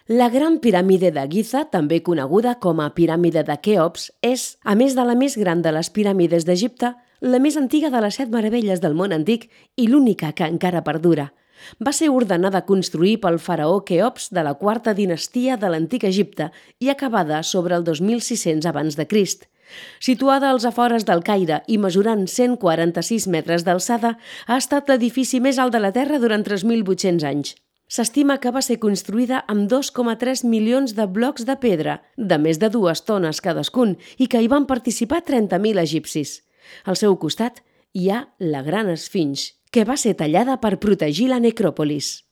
La Gran Piràmide de Giza, també coneguda com a Piràmide de Keops, és, a més de la més gran de les piràmides d'Egipte, la més antiga de les 7 meravelles del món antic i l'única que encara perdura. Va ser ordenada construir pel faraó Keops de la quarta dinastia de l'antic Egipte i acabada sobre el 2600 abans de Crist. Situada als afores del Caire i mesurant 146 metres d'alçada, ha estat l'edifici més alt de la Terra durant 3.800 anys. S'estima que va ser construïda amb 2,3 milions de blocs de pedra, de més de 2 tones cadascun, i que hi van participar 30.000 egipcis. Al seu costat hi ha la Gran Esfinx, que va ser tallada per protegir la necròpolis.